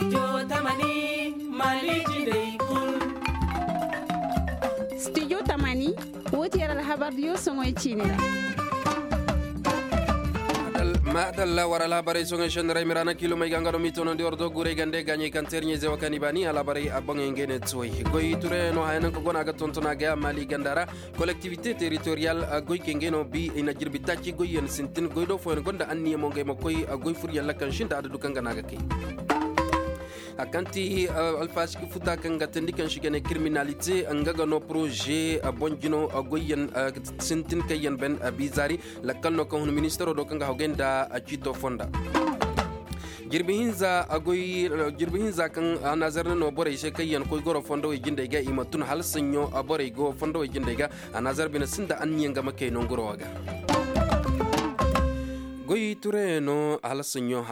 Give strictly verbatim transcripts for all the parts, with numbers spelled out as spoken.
Studio tamani, woo ti yer alhabar diyo soŋoy ciini ra. Maadalla war alhabarey soŋoy senni ra i ma ra na kiilomey ga nga no m'i toonandi war do guurey gande gaaɲey kaŋ teeriɲey ze wa kaŋ i baani alhabarey a boŋey ngey ne tuwey goy turey no haya naŋ ka go no a ga tonton a ga ya maali ganda ra. Kolektivite teritoriyal goykey ngey no bi i na jirbi taaci goyyaŋ sintin goy do fooyaŋ gonda anniya mo ngey ma koy goy furyaŋ lakkal sinda adadu kaŋ ga no a ga kay. A kaŋ ti alfaasiki futa kaŋ ga teendi kaŋ si ga ne kiriminalite nga ga no poroze boŋ jino goyyaŋ sintin kaŋ yaŋ ben biizaari. Lakkal no kaŋ hun ministaro do kaŋ ga hawgay nda ciito fonda. Jirbi hinza kaŋ anazar na no borey se kaŋ yaŋ koy goro fondowey jindey ga i ma tun hala saɲɲo borey go fondowey jindey ga. Anazar bine sinda anniyaŋ ga ma kay nonguro wo ga. Goy turayaŋ no hala saɲɲo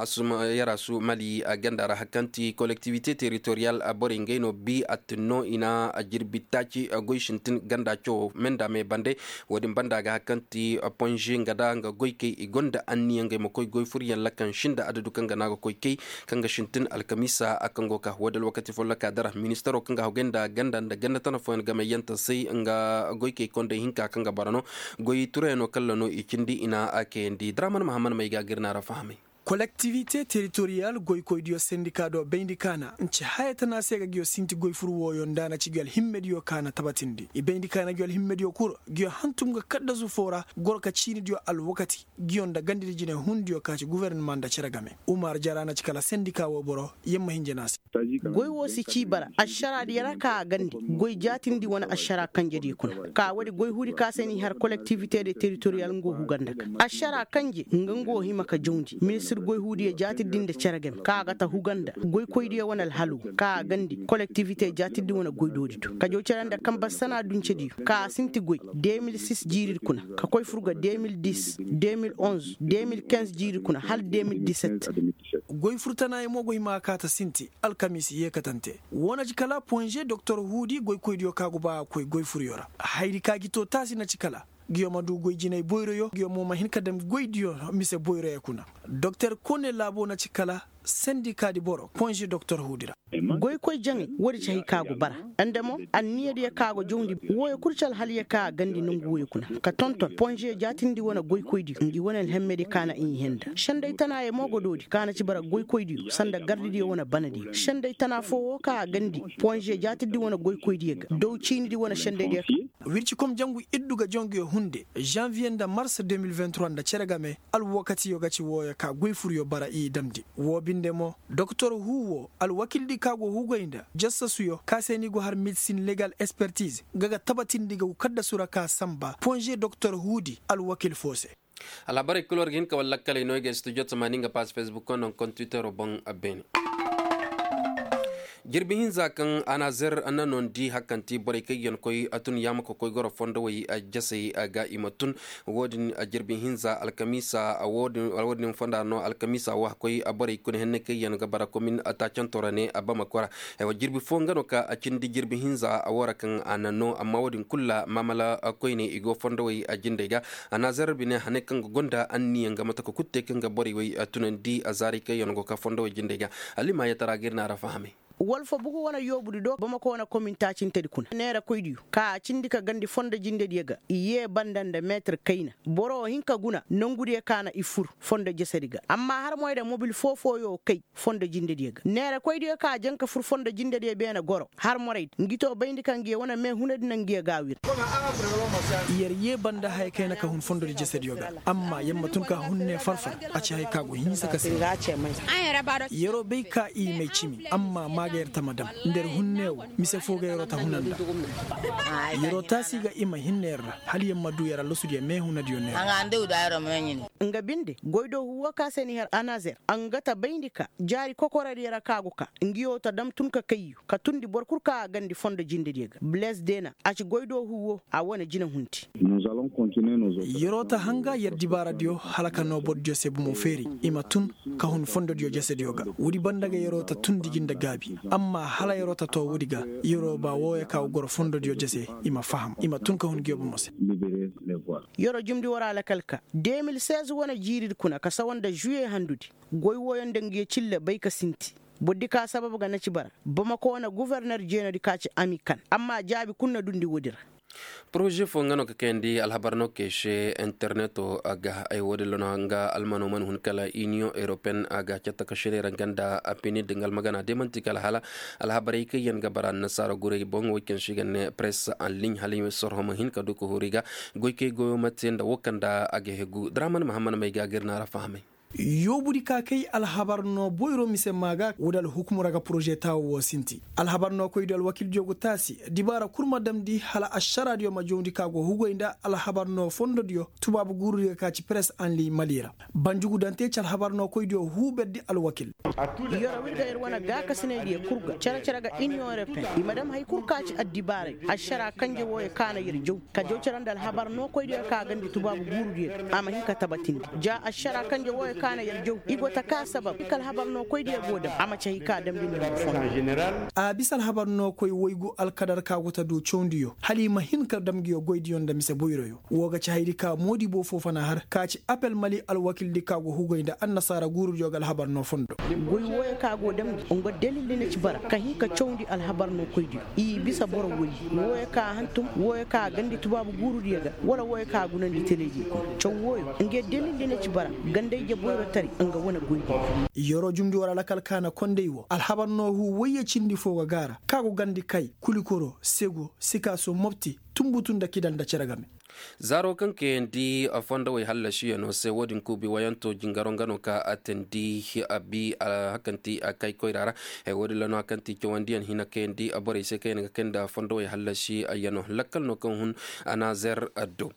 yarasu mali ganda ra hari kaŋ ti kolektivite teritoriyal borey ngey no bi attin no i na jirbi taaci goy sintin ganda cawo me nda me bande. Wo-din banda ga hari kaŋ ti ponze nga da nga goykey i gonda anniya ngey ma koy goy furyaŋ lakan sinda adadu kaŋ ga no a ga koy kay kaŋ ga sintin alkamiisa kaŋ go ka wo-din alwakati folloka dara ministaro kaŋ ga hawgay nda ganda nda ganda tana fooyaŋ gamayyaŋ ta se nga goykey kondey hinka kaŋ ga bara no. Goy turayaŋ no kalla no i cindi i na a kayandi draman mahammad may ga gir na ra fahamay. Kolektivite teritoriyal goykoydiyo sendika do bayndi kaana nci haya tana se ga nguyo sinti goy fur wooyo nda na ci nguyo alhimmediyo kaana tabatindi i bayndi kaana nguyo alhimmediyo kul nguyo hantum ga kaddasu foo ra goro ka ciinidiyo alwakati nguyo nda gandidi jinay hundiyo ka ci gufornama nda cere game. Umar jara na ci kala sendika woo boro yamma hinja na se. Goy woo si cii bara ašaraadiyo ra ka a gandi goy jaatindi wane ašara kanjediyo kuna ka woodi goy huudi ka se n'i har kolektivite de teritoriyal nga woo huga nda ga ašara kanje nga nga woo hima ka jawndi ministir goy huudiyo jaatindi nda cere game ka a ga ta huga nda goykoydiyo wane alhalu ka a gandi kolektivite jaatindi wane goydoodi do ka jaw cere nda kanba sana duncediyo ka a sinti goy de mil sis jiiridi kuna ka koy fur ga de mil dis de mil onz de mil kinz jiiridi kuna hala de mil diset. Goy fur tana yaŋ mo go hima a kaata sinti alkamiisi yeekatante. Woo na ci kala ponze doktor huudi goykoydiyo ka go ba a koy goy furyo ra hayadi ka gi to taasi na ci kala nguyo ma du goy jinay boyroyo nguyo mo ma hin ka dam goydiyo mise boyroyo kuna. Doktor kone laabo na ci kala sendikaadi boro ponze doktor huudi ra. Goykoy jaŋay woodi ci hay ka go bara nda mo anniyadiyo ka go jawndi wooyo kul ci alhaliyo ka a gandi nongu wooyo kuna ka tonton ponze jaatindi wane goykoydiyo ngi wane alhemmedi ka na i henda senday tanaayo mo go doodi ka na ci bara goykoydiyo sanda gardidiyo wane banadiyo senday tana foo woo ka a gandi ponze jaatindi wane goykoydiyo ga daw ciinidi wane sendaydiyo ka wircikom jangu iddu ga jonguyo hunde janviye nda mars de mil vingt trois nda cere game. Alwakatiyo ga ci wooyo ka goy furyo bara i damndi woo binde mo doktor huu woo alwakildi ka go hugay nda jassasuyo ka se ni go har medisin legal espertiz nga ga tabatindi ga kaddasu ra ka sanba ponze doktor huudi alwakil foo se. Alhabarey kul war ga hin ka wala lakkaley no i ga studio tamaani nga paas fesbuk no nda kontwitero boŋ. Beene jirbi hinza kaŋ anazer na noondi hari kaŋ ti borey kaŋ yaŋ koy tun yaama ka koy goro fondowey jasey ga i ma tun. Wo-din jirbi hinza alkamiisa wo-din fonda no alkamiisa wo a koy borey kuna henney kaŋ yaŋ ga bara komin taacanto ra ne a bama kora. Jirbi fo nga no ka a cindi jirbi hinza wo ra kaŋ a na no amma wo-din kul ra maamala koyne i go fondowey jindey ga. Anazer bine haney kaŋ ga gonda anniya nga mate ka kul te kaŋ ga borey wey tunandi a zaaray kaŋ yaŋ go ka fondowey jindey ga. Alima yatara ga ir na a ra fahamay. Walfa bugu wane yoobudi do bamako wane komin taacintedi kuna neerakoydiyo ka a cindi ka gandi fondo jindediyo ga i yee banda nda meetir kayna. Boro wo hin ka guna nongudiyo ka na i fur fondo jesedi ga amma har moy da mobil foo-fooyo kay fondo jindediyo ga neerakoydiyo ka a jaŋ ka fur fondo jindediyo beene goro har moraydi ngi to bayndi ka ngiyo wane meehunadi na ngiyo ga a wir. Yer yee banda haya kayna ka hun fondodi jesediyo ga amma yer ma tun ka hun ne far-far. A ci haya ka go hinsa ka se. Yeroo bay ka i may cimi amma maa ga yer tama dam nda yer hun ne wo mise foo ga yeroo ta huna nda. Yeroo taasi ga i ma hinne yer ra hala yer ma duu yer allosudiyo meehunadiyo ne ra. Nga binde goydoo huu woo ka se ni har anazer nga ta bayndi ka jaari kokoradiyo ra ka go ka ngiyo ta dam tun ka kayyu ka tundi boro kul ka a gandi fondo jindediyo ga biles deena a ci goydoo huu woo a wane jina hunti. Yeroo ta hanga yer dibaaradiyo hala ka noo borodiyo se bomo feeri i ma tun ka hun fondodiyo jesediyo ga woodi banda ga yeroo ta tundi gi nda gaabi amma hala yeroo ta too woodi ga yeroo ba wooyo ka go goro fondodiyo jese i ma faham i ma tun ka hun ngiyo bomo se. Yeroo jumndi war alakal ka de mil seize wane jiiridi kuna ka sawa nda žuye handudi goy wooyo nda ngiyo cille bay ka sinti. Boro di ka sabab ga na ci bara bamako wane guverner jeenodi ka ci ami kan amma jaabi kul na dundi woodi ra. Poroze fo nga no ka kayandi alhabar no kay se interneto ga ay woodin ra no nga almano mana hun kala iniyoŋ europeyen a ga catta ka seney ra nga nda apinid nga almagana de man'ti kala hala alhabarey kaŋ yaŋ ga bara annasaara guray boŋ wo kaŋ se i ga ne press en ligne hala i ma sorho ma hin ka du ka huru i ga goykey goyo ma te nda wo kaŋ nda a ga hegu draman mahammad may ga ga ir na ra fahamay. Yoobudi ka kay alhabar no boyro mise maa ga wala alhukumu ra ga poroze taawo wo sinti. Alhabar no koydiyo alwakildiyo go taasi dibaara kul ma damndi hala ašaraadiyo ma jawndi ka go hugay nda alhabar no fondodiyo tubaabu guurudi ga ka ci peres anli mali ra. Banjugu daŋ te ci alhabar no koydiyo huuberdi alwakil. Yoro ir ga ir wane gaakasinaydiyo kul ga cere-cere ga iniyoŋ europeyen i ma dam hari kul ka ci addibaarey ašara kanje wooyo ka na ir jaw ka jaw cere nda alhabar no koydiyo ka gandi tubaabu guurudiyo a ma hin ka tabatindi. Ja ašara kanje wooyo ka na ir jaw i go ta ka sabab i ka alhabar no koydiyo go dam a ma ci hari ka damndi nda ma fondo. A bisa alhabar no koy waygu alkadar ka go ta du cawndiyo hala i ma hin ka dam nguyo goydiyo nda mise boyroyo. Woo ga ci hayri ka moodibo foo fana har ka ci apel mali alwakildi ka go hugay nda annasaara guurudiyo ga alhabar no fondo. Goy wooyo ka go damndi nga dalildi na ci bara ka hin ka cawndi alhabar no koydiyo i bisa boro woy wooyo ka hantum wooyo ka gandi tubaabu guurudiyo ga wala wooyo ka gunandi telediyo kuna caw wooyo nga dalildi na ci bara ganda ije boyro tari nga wane goydiyo. Yoro jumndi war alakal ka na kondey wo alhabar no huu woyye cindi foo ga gaara ka go gandi kay kulikoro sego sikaaso mopti tunbutu nda kidal nda cere game. Zaaro kaŋ kayandi fondowey hallasiyano se wo-din kuubi wayanto jingaro nga no ka a teendi a bi a hakanti a kay koyra ra. Hay wo-din ra no hakanti cawandiyaŋ hina kayandi borey se kaŋ yaŋ ga kay nda fondowey hallasiyano lakkal no kaŋ hun a na zer do.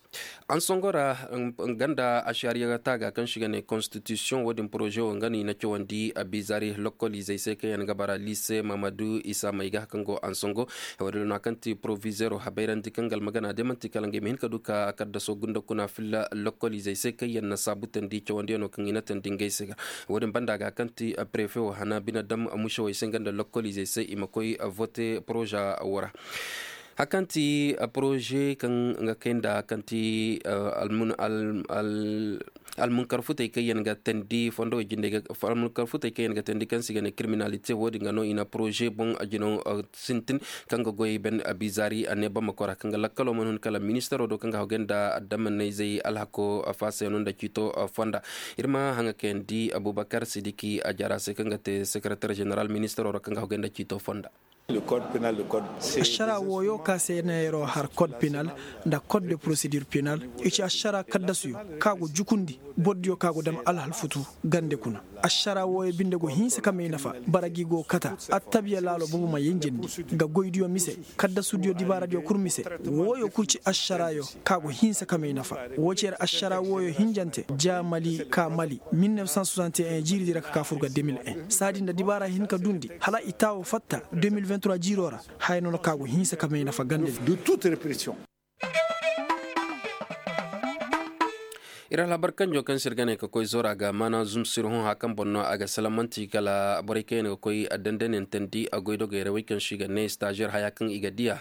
Ansongo ra nga nda ašariya taaga kaŋ se i ga ne konstitisiyoŋ wo-din poroze wo nga no i na cawandi a bizari lokkolizey se kaŋ yaŋ ga bara lise mamadu isa may ga kaŋ go ansongo. Hay wo-din ra no a kaŋ ti porovizeero habayrandi kaŋ ga almagana day man'ti kala ngey ma hin ka du ka kaddaso gunda kuna filla lokkolizey se kaŋ yaŋ na saabutandi cawandiyaŋo kaŋ i na teendi ngey se ga. Wo-din banda ga kaŋ ti prefe wo hana bine dam musewey se nga nda lokkolizey se i ma koy vote poroza wo ra. Hari kaŋ ti poroze kaŋ ga kay nda kaŋ ti almunkar futey kaŋ yaŋ ga teendi fondowey jindey ga almunkar futey kaŋ yaŋ ga teendi kaŋ se i ga ne kiriminalite wo-din ga no i na poroze boŋ jinaw sintin kaŋ ga goy ben bizari a ne bamako ra kaŋ ga lakkalo mana hun kala ministaro do kaŋ ga hawgay nda adamannayzey alhako faasayano nda ciito fonda. Ir ma haŋa kayandi abubakar sidiki a jara se kaŋ ga te sekereter jeneral ministaro ra kaŋ ga hawgay nda ciito fonda. Ašara wooyo ka se na yero har kod penal nda kod de porosedir penal. I ci ašara kaddasuyo ka go jukundi bordiyo ka go dam alhalfutu gande kuna. Ašara wooyo binde go hinsa ka may nafa bara gi go kata attabiya laalo boobo ma yenjandi ga goydiyo mise kaddasudiyo dibaaradiyo kul mise. Wooyo kul ci ašarayo ka go hinsa ka may nafa. Woo ci yer ašara wooyo hinjante ja mali ka mali mil neuf cent soixante et un jiiridi ra ka ka fur ga deux mille un saadi nda dibaara hin ka dundi hala i taawo fatta deux mille vingt-trois jiiro ra. Haya no no ka go hinsa ka may nafa gande. Ir alhabar kanjo kaŋ se ir ga ne ka koy zora ga maana zumsir hõ haya kaŋ boŋ no a ga salamanti kala borey kaŋ yaŋ ga koy dandanyaŋ teendi goydogey ra wey kaŋ se i ga ne stazer haya kaŋ i ga diya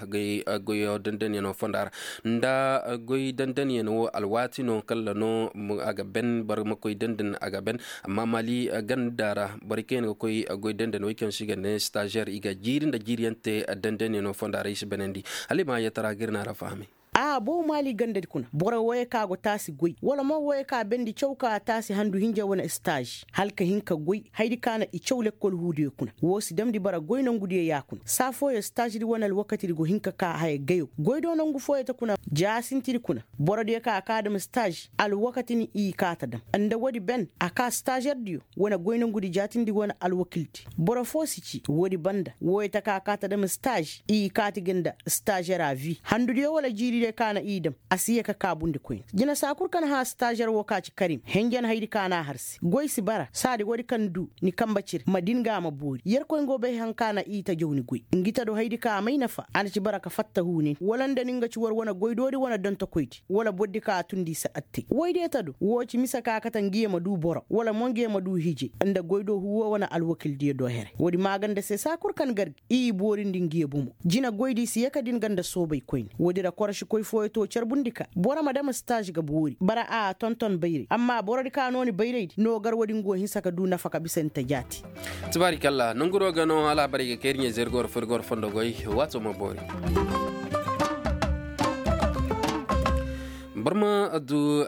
goyo dandanyaŋo fonda ra. Nda goy dandanyaŋ wo alwaati no kala no a ga ben boro ma koy dandan a ga ben. Amma mali ganda ra borey kaŋ yaŋ ga koy goy dandan wey kaŋ se i ga ne stazer i ga jiiri nda jiiriyaŋ te dandanyaŋo fonda ra i si benandi. Hala i ma yatara ga ir na ra fahamay. A boo maali gandadi kuna boro wooyo ka go taasi goy wala mo wooyo ka bendi caw ka taasi handu hinja wane staaž hala ka hin ka goy hayadi ka na i caw lekkol huudiyo kuna. Woo si damndi bara goy nongudiyo ya kuna saa fooyo staaždi wane alwakatidi go hin ka ka haya gayo goy do nongu fooyo ta kuna. Ja sintidi kuna borodiyo ka a ka dam staaž alwakatini i ka ta dam. Nda woodi ben a ka staažerdiyo wane goy nongudi jaatindi wane alwakildi. Boro foo si ci woodi banda wooyo ta ka ka ta dam staaž i kaati ga nda staažera vi handudiyo wala jiiridiyo ka na i dam. A si ye ka kaabundi koyne jina saa kul ka na hã staažer woo ka ci karim henjen hayadi ka na a har se goy si bara saadi woodi kaŋ du ni kambe cire ma din ga a ma boori yerkoy nga wo bay haŋ ka na i ta jaw ni goy. Ngi ta do hayadi ka a may nafa a na ci bara ka fatta huunay wala nda ni nga ci war wane goydoodi wane dontokoydi wala borodi ka a tundi i si attay woydiyo ta do woo ci mise ka kate ngi ye ma du boro wala mo ngi ye ma du hije nda goydoo huuwo wane alwakildiyo do here woodi maaganda se saa kul kaŋ gargi i boorindi ngi ye bomo. Jina goydi si ye ka din ganda soobay koyne woodi ra koroši. koy fooyo to carbundi ka boro ma dam staaž ga boori bara a tonton bayray amma borodi ka no ni bayraydi no gar woodin go hinsa ka du nafa ka bisa ni ta jaati. Tibaari kalla nonguro ga no alaabarey ga kay ir ɲey zay ir ga war fo ir ga war fondo goy. Waato ma boori. Barma du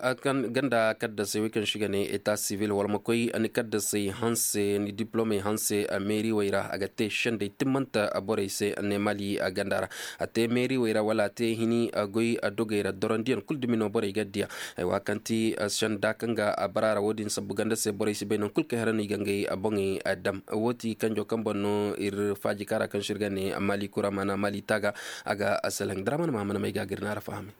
ganda kaddasey wey kaŋ si ga ne eta sivil wala ma koy ni kaddasey hanse ni diplomey hanse meeri wey ra a ga te sendey timmanta borey se ne mali ganda ra. A te meeri wey ra wala a te hini goy dogey ra dorondiyaŋ kulu dumi no borey ga diya. Ay wa kaŋ ti senda kaŋ ga a bara ra wo- din sabbu ganda se borey si bay naŋ kulu kay hara no i ga ngey boŋey dam wo ti kanjo kaŋ boŋ no ir faaji kaara kaŋ se ir ga ne mali kura maana mali taaga. A ga a salaŋ daraman mahamana may ga gir naara fahami.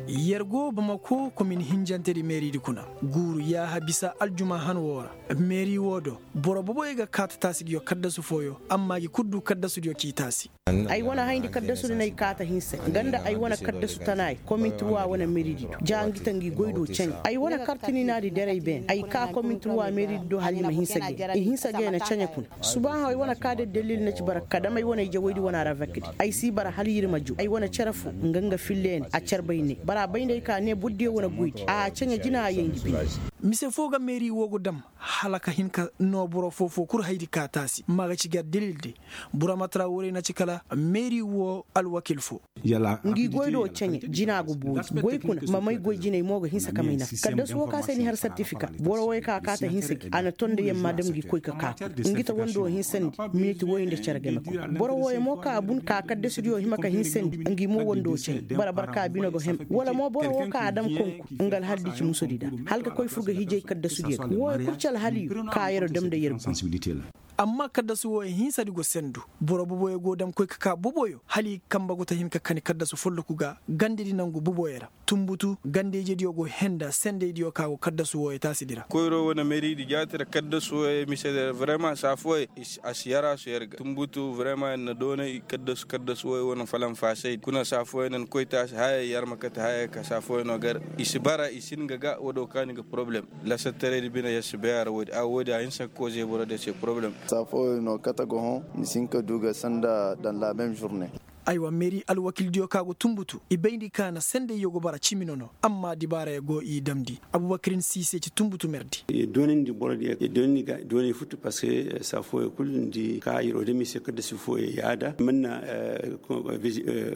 Yer go bamako komin hinjantedi meeridi kuna guuru yaaha bisa aljuma han woo ra. Meeri woo do boro boboyo ga kaata taasi ngi yo kaddasu fooyo amma ngi kul du kaddasu ngi yo k'i taasi. Ay wane hayndi kaddasudi n'ay kaata hinse nga nda ay wane kaddasu tanaay komintirwa wane meridi do ja ngi ta ngi goy do ceŋe ay wane kartininaadi derey beene ay kaa komintirwa meridi do hala i ma hinse ga i hinse ga i na ceŋe kuna. Subaahaw ay wane kaa da dalil na ci bara ka dam ay wane ijewaydi wane aravekdi ay si bara hala ir ma ju ay wane cere fo nga nga filleeni a carbay ne bara bay nda ay ka ne bordiyo wane goydi a ceŋe jina a yay ngi bine. Mise foo ga meeri woo go dam hala ka hin ka noo boro foo-foo kul haydi ka taasi ma ga ci gar dalil de. Bura ma tara woorey na ci kala meeri woo alwakil foo. Ngi goy do ceŋe jina go boori goy kuna ma may goy jinay mo ga hinsa ka may nafa kaddasu woo ka se ni har sertifika boro woy ka kaata hinsa gi a na ton nda yamma dam ngi koy ka kaa kuna. Ngi ta wando hinsandi miniti woy nda cere game kuna boro woy mo ka a bun ka kaddasudiyo hima ka hinsandi ngi mo wando ceŋe bara barka bine go hem wala mo boro woo ka a dam konku nga alhaldi ci musudi da hala ka koy fur ga hijay kaddasudiyo ga woy kul ci alhaliyo ka yero dam nda yer gu. Amma kaddasu wooyo hinsadi go sendu boro boboyo go dam koy ka kaa boboyo hala i kamba go ta hin ka kani kaddasu folloku ga gandedi nangu boboyo ra. Tunbutu gandeyjediyo go henda sendeydiyo ka go kaddasu wooyo taasidi ra. Koyro wane meridi jaati ra kaddasu wooyo mise ra vrema saa fooyo a si yar a si yar ga tunbutu vrema yer na doonay kaddasu kaddasu wooyo wane falanfaasaydi kuna saa fooyo nan koy taasi haya yar ma kate haya ka saa fooyo no gar i si bara i si hin ga ga woo do kaani ga poroblem. Lasattaray di bine ya si bay a ra woodi a woodi a hinsa ka koze boro de se poroblem. Saa fooyo no kate ga hõ ni si hin ka du ga sanda dan la même journée. Aywa meeri alwakildiyo ka go tunbutu i bayndi ka na sendayyo go bara cimi nono amma dibaarayo go i damndi. Abubakirin siise ci tunbutu merdi. Doonandi borodiyo doonandi ga doonay futu parceque saa fooyo kulu ni di ka yeroo dami se kadda si fooyo yaada manna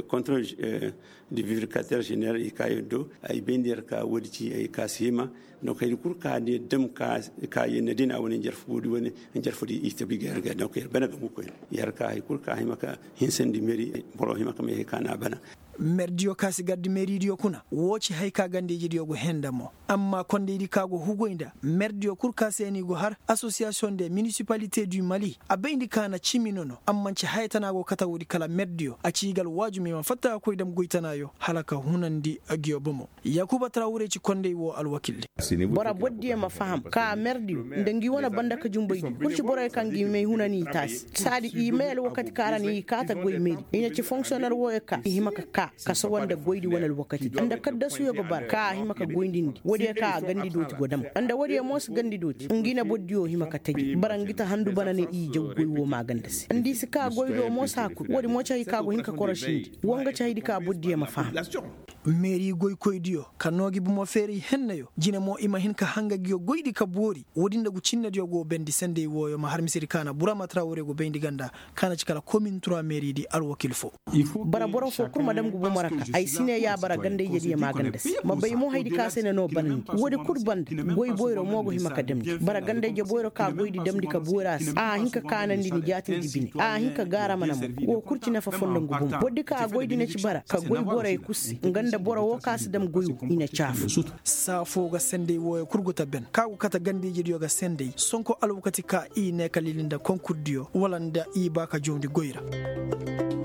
contrôle de vérificateur général i ka yaddo ay bayndi yer ka woodi ci ay ka si hima. Donc haydi kul ka ne dam ka yer na dina wane njarfo boodi wane njarfo di i tabi ga yer ga donc yer bana ga mukoy yer ka hay kul ka hima ka hinsandi meri boro hima ka may hay ka na bana. Merdiyo ka si gardi meridiyo kuna woo ci hay ka gandeyjidiyo go henda mo. Amma kondeydi ka go hugoy nda merdiyo kul ka se ni go har association de municipalité du mali a bayndi ka na cimi nono amma nci haya tana go kate woodi kala merdiyo a ci i ga alwaajum i ma fatta ka koy dam goy tanaayo hala ka hunandi. Ngiyo bomo. Yaakuba tarawure ci kondey woo alwakildi. Boro bordiyo ma faham ka merdiyo nda ngi wane banda ka jumbaydi kul ci boroyo ka ngi may hunani i taasi saadi i may alwakati ka ra ni i kaata goy meri i na ci fonksiyoner wooyo ka i hima ka kaa ka sawa nda goydi wane alwakatidi nda kaddasuyo ga bara ka a hima ka goyndindi woodiyo ka a gandi dooti go dam nda woodiyo mo si gandi dooti ngi na bordiyo hima ka taji bara ngi ta handu bana ne i jaw goy woo maaganda se nda i si kaa goydo mo saa kul woodi mo ci hay ka go hin ka korosindi woo nga ci haydi ka bordiyo ma faham. Meeri goykoydiyo ka noo gi bomo feeray hennayo jine mo i ma hin ka hanga ngiyo goydi ka boori woodi nda ngu cinnediyo go bendi sendey wooyo ma har misedi ka na burama tarawure go bayndi ganda ka na ci kala komin tura meeridi alwakil foo. Bara boro foo kul ma dam ngu bomo ra ka ay si ne ya bara gandayjediyo maaganda se ma bay mo haydi ka se na noo banandi woodi kul banda goy boyro mo go hima ka damndi bara gandayje boyro ka goydi damndi ka boori a se a hin ka kaanandi ni jaatindi bine a hin ka gaarama na mo woo kul ci nafa fondo ngu bomo bordi ka goydi na ci bara ka goy borey kul se nga nda boro woo ka si dam goy woo i na caafu. Saa foo ga sendey wooyo kul go ta ben ka go kate gandayjediyo ga sendey sonko alwakati ka i ne ka lili nda konkurdiyo wala nda i ba ka jawndi goy ra.